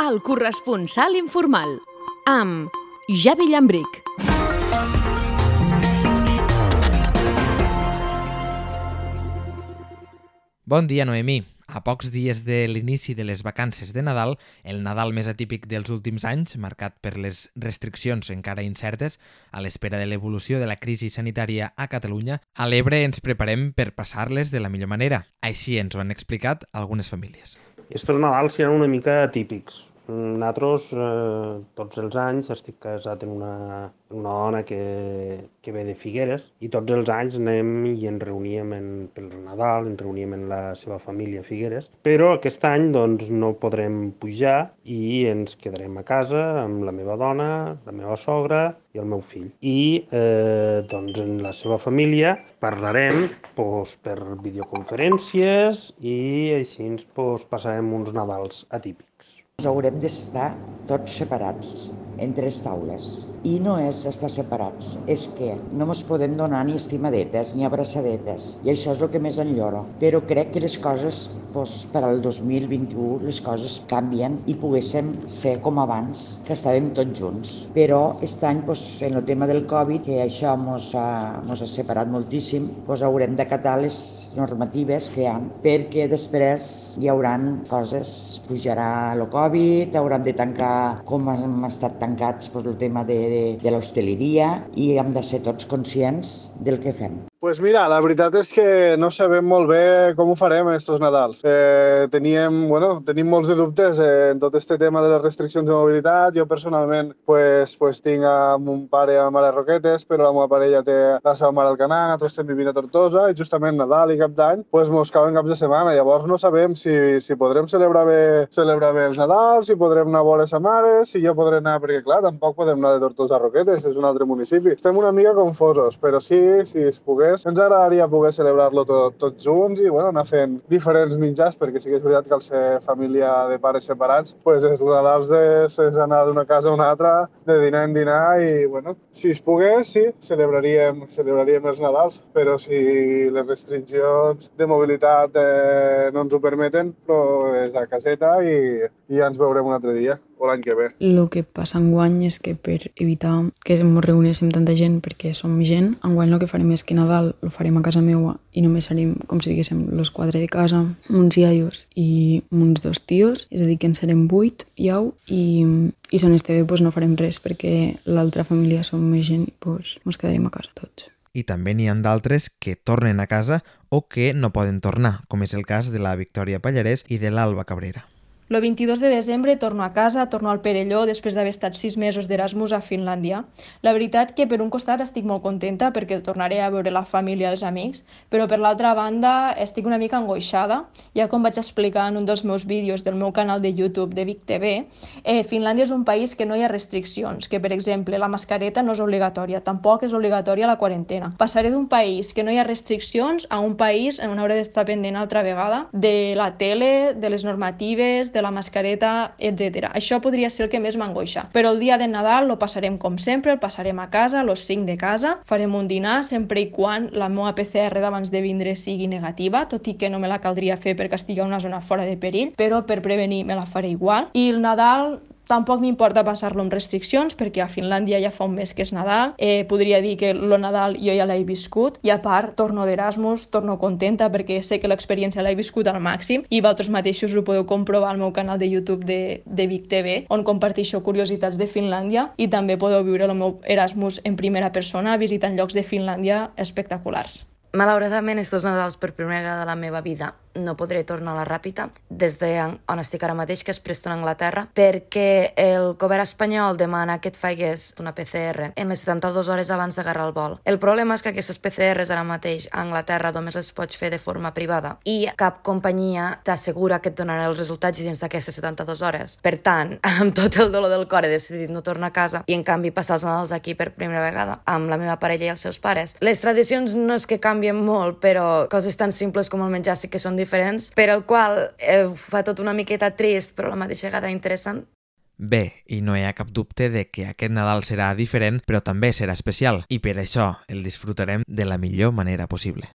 El corresponsal informal, amb Javi Llambric. Bon dia, Noemí. A pocs dies de l'inici de les vacances de Nadal, el Nadal més atípic dels últims anys, marcat per les restriccions encara incertes a l'espera de l'evolució de la crisi sanitària a Catalunya, a l'Ebre ens preparem per passar-les de la millor manera. Així ens ho han explicat algunes famílies. Estos Nadals seran una mica atípics. Nosaltres, tots els anys, estic casat amb una dona que ve de Figueres i tots els anys anem i ens reuníem pel Nadal, ens reuníem amb la seva família a Figueres, però aquest any doncs, no podrem pujar i ens quedarem a casa amb la meva dona, la meva sogra i el meu fill. I doncs, en la seva família parlarem per videoconferències i així ens passarem uns Nadals atípics. Haurem d'estar tots separats, en 3 taules. I no és estar separats, és que no ens podem donar ni estimadetes ni abraçadetes. I això és el que més enlloro. Però crec que les coses, per al 2021, les coses canvien i poguéssim ser com abans, que estàvem tots junts. Però aquest any, en el tema del Covid, que això ens ha separat moltíssim, haurem d'acatar les normatives que hi ha, perquè després hi haurà coses, pujarà el Covid, hauran de tancar, com hem estat tancats, el tema de l'hostaleria, i hem de ser tots conscients del que fem. Pues mira, la veritat és que no sabem molt bé com ho farem estos Nadals. Tenim molts de dubtes en tot este tema de les restriccions de mobilitat. Jo personalment tinc a mon pare a Mare Roquetes, però la meva parella té la seva mare al Canà, nosaltres estem vivint a Tortosa i justament Nadal i Cap d'Any mos cauen caps de setmana. Llavors no sabem si podrem celebrar bé els Nadals, si podrem anar a veure sa mare, si jo podré anar, perquè clar, tampoc podem anar de Tortosa a Roquetes, és un altre municipi. Estem una mica confosos, però sí, si es pogués, ens agradaria poder celebrar-lo tots junts i anar fent diferents menjars, perquè sí que és veritat que al ser família de pares separats, els Nadals és anar d'una casa a una altra, de dinar en dinar i, si es pogués, sí, celebraríem els Nadals, però si les restriccions de mobilitat no ens ho permeten, és a caseta i ja ens veurem un altre dia o l'any que ve. El que passa enguany és que per evitar que ens reunéssim tanta gent, perquè som gent, enguany el que farem és que Nadal el farem a casa meva i només serem, com si diguéssim, los 4 de casa, uns iaios i uns 2 tios, és a dir, que en serem 8, iau, i si no esté bé no farem res, perquè l'altra família som més gent i ens quedarem a casa tots. I també n'hi ha d'altres que tornen a casa o que no poden tornar, com és el cas de la Victòria Pallarès i de l'Alba Cabrera. El 22 de desembre torno a casa, torno al Perelló després d'haver estat 6 mesos d'Erasmus a Finlàndia. La veritat que per un costat estic molt contenta perquè tornaré a veure la família i els amics, però per l'altra banda estic una mica angoixada. Ja com vaig explicar en un dels meus vídeos del meu canal de YouTube de Vic TV, Finlàndia és un país que no hi ha restriccions, que per exemple la mascareta no és obligatòria, tampoc és obligatòria la quarantena. Passaré d'un país que no hi ha restriccions a un país on hauré d'estar pendent altra vegada de la tele, de les normatives, de la mascareta, etc. Això podria ser el que més m'angoixa. Però el dia de Nadal lo passarem com sempre, el passarem a casa, los 5 de casa, farem un dinar sempre i quan la meva PCR d'abans de vindre sigui negativa, tot i que no me la caldria fer perquè estigui a una zona fora de perill, però per prevenir me la faré igual. I el Nadal tampoc m'importa passar-lo amb restriccions perquè a Finlàndia ja fa un mes que és Nadal. Podria dir que el Nadal jo ja l'he viscut i a part torno d'Erasmus, torno contenta perquè sé que l'experiència l'he viscut al màxim i vosaltres mateixos ho podeu comprovar al meu canal de YouTube de Vic TV, on comparteixo curiositats de Finlàndia i també podeu viure el meu Erasmus en primera persona visitant llocs de Finlàndia espectaculars. Malauradament, estos Nadals per primera vegada de la meva vida no podré tornar a la Ràpita des d'on estic ara mateix, que és Preston, Anglaterra, perquè el govern espanyol demana que et faigues una PCR en les 72 hores abans d'agarrar el vol. El problema és que aquestes PCRs ara mateix a Anglaterra només les pots fer de forma privada i cap companyia t'assegura que et donarà els resultats dins d'aquestes 72 hores. Per tant, amb tot el dolor del cor he decidit no tornar a casa i en canvi passar els Nadals aquí per primera vegada amb la meva parella i els seus pares. Les tradicions no és que canvien molt, però coses tan simples com el menjar sí que són diferents, per el qual fa tot una miqueta trist, però a la mateixa vegada interessant. Bé, i no hi ha cap dubte de que aquest Nadal serà diferent, però també serà especial, i per això el disfrutarem de la millor manera possible.